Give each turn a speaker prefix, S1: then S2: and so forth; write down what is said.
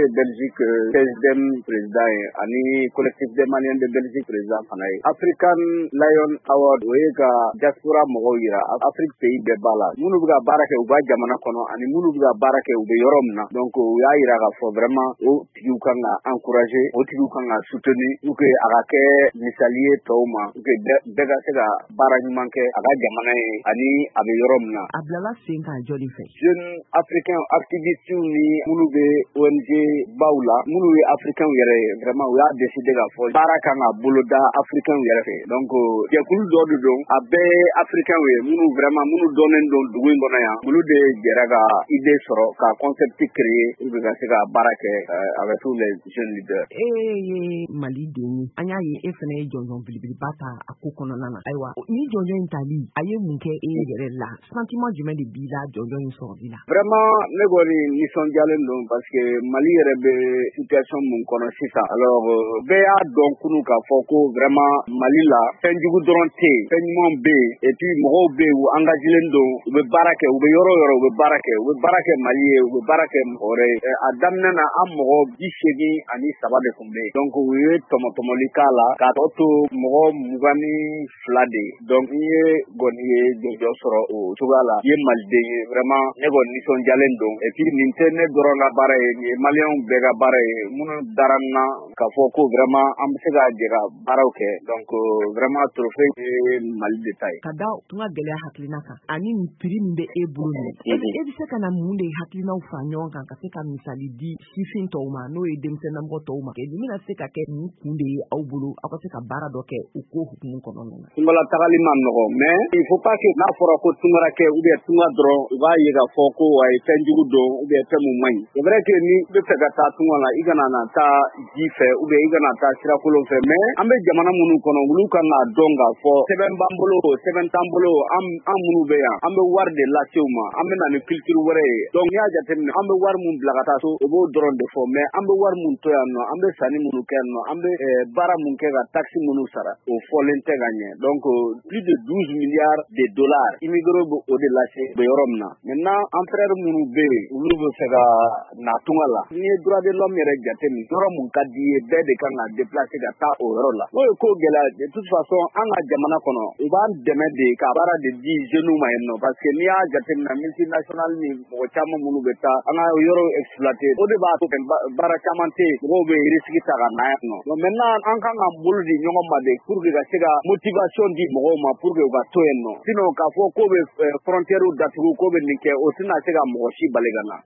S1: ye Belgique CSDM président ye ani Collectif des Maliens de Belgique président fana ye. African Lion Award, o ye ka diaspora mɔgɔw yira, Afrique pays bɛɛ b'a la, minnu bɛ ka baara kɛ u ka jamana kɔnɔ ani minnu bɛ ka baara kɛ u bɛ yɔrɔ min na. Donc u y'a yira k'a fɔ vraiment o tigiw kan ka encourager, o tigiw kan ka soutenir pour que a ka kɛ misali ye tɔw ma, pour que bɛɛ ka se ka baara ɲuman kɛ a ka jamana ye ani a bɛ yɔrɔ min na.
S2: A bilala sen kan jɔnni fɛ?
S1: Jeune africain activistes ni minnu bɛ ONG baw la, minnu ye africain yɛrɛ ye, vraiment u y'a décider k'a fɔ baara kan ka boloda africain yɛrɛ fɛ. Donc jɛkulu dɔ de don, a bɛɛ ye africain ye, minnu vraiment minnu dɔnnen don dugu in kɔnɔ yan, olu de jɛra ka idée sɔrɔ ka concept créer pour que ka se ka baara kɛ avec tous les jeunes leaders.
S2: E ye Mali den ye, an y'a ye e fana ye jɔnjɔn belebeleba ta a ko kɔnɔna na. Ayiwa, ni jɔnjɔn in tali, a ye mun kɛ e yɛrɛ la? Sentiment jumɛn de b'i la jɔnjɔn in sɔrɔli la?
S1: Vraiment, ne kɔni nisɔndiyalen don parce que Mali yɛrɛ bɛ situation mun kɔnɔ sisan, alors bɛɛ y'a dɔn kunu k'a fɔ ko vraiment Mali la, fɛn jugu dɔrɔn tɛ yen, fɛn ɲumanw bɛ yen. Et puis mɔgɔw bɛ yen, u engagé don, u bɛ baara kɛ, u bɛ yɔrɔ o yɔrɔ, u bɛ baara kɛ, u bɛ baara kɛ Mali ye, u bɛ baara kɛ mɔgɔ wɛrɛ ye. A daminɛ na, an mɔgɔ 83 de tun bɛ yen. Donc u ye tɔmɔtɔmɔli k'a la k'a tɔ to mɔgɔ 22 de ye. Donc n ye kɔni ye jɔnjɔn sɔrɔ o cogoya la, i ye maliden ye, vraiment ne kɔni nisɔndiyalen don. Et puis nin tɛ ne dɔrɔn ka baara ye, nin ye maliyɛnw bɛɛ ka baara ye, minnu dara n na k'a fɔ ko vraiment an bɛ se ka jɛ ka baaraw kɛ. Donc vraiment trophée ye Mali de ta ye.
S2: Ka da tun ka gɛlɛya hakilina kan ani nin prix min bɛ e bolo nin, e bɛ se ka na mun de hakilinaw fara ɲɔgɔn kan ka se ka misali di sifin tɔw ma, n'o ye denmisɛnninamɔgɔ tɔw ma? Nin bɛna se ka kɛ mun kun de ye aw bolo aw ka se ka baara dɔ kɛ o ko hukumu kɔnɔna na?
S1: Tungala tagali ma nɔgɔ, mais il faut pas que n'a fɔra ko tungara kɛ ou bien tunga dɔrɔn, u b'a ye k'a fɔ ko ayi, fɛn jugu don ou bien fɛn mun man ɲi. C'est vrai que ni bɛ fɛ ka taa tunga la, i kana na taa ji fɛ ou bien i kana taa sirakolon fɛ, mais an bɛ jamana minnu kɔnɔ, olu kan k'a dɔn k'a fɔ sɛbɛn b'an bolo, sɛbɛn t'an bolo, an minnu bɛ yan, an bɛ wari de lase u ma, an bɛ na ni culture wɛrɛ ye. Donc n'i y'a jateminɛ, an bɛ wari mun bila ka taa so, o b'o dɔrɔn de fɔ, mais an bɛ wari mun to yan nɔ, an bɛ sanni minnu kɛ yan nɔ, an bɛ baara mun kɛ ka taxe minnu sara, o fɔlen tɛ ka ɲɛ. Donc plus de 12 milliards de dollars, immigré bɛ o de lase u bɛ yɔrɔ min na. Maintenant, an frère minnu bɛ yen, olu bɛ fɛ ka na tunga la, n'i ye droit de l'homme yɛrɛ jate min, yɔrɔ mun ka di ye, bɛɛ de kan ka déplacer ka taa o yɔrɔ la. N'o ye ko gɛlɛya, de toute façon an ka jamana kɔnɔ, u b'an dɛmɛ de ka baara de di jeunes ma yen nɔ, parce que n'i y'a jateminɛ, multinational ni mɔgɔ caman minnu bɛ taa an ka yɔrɔw exploiter, o de b'a to baara caman tɛ yen, mɔgɔw bɛ risque ta ka na yan nɔ. Donc maintenant, an kan k'an bolo di ɲɔgɔn ma de pour que ka se ka motivation di mɔgɔw ma pour que u ka to yen nɔ. Sinon k'a fɔ k'o bɛ frontière datugu, k'o bɛ nin kɛ, o tɛna se ka mɔgɔ si bali ka na.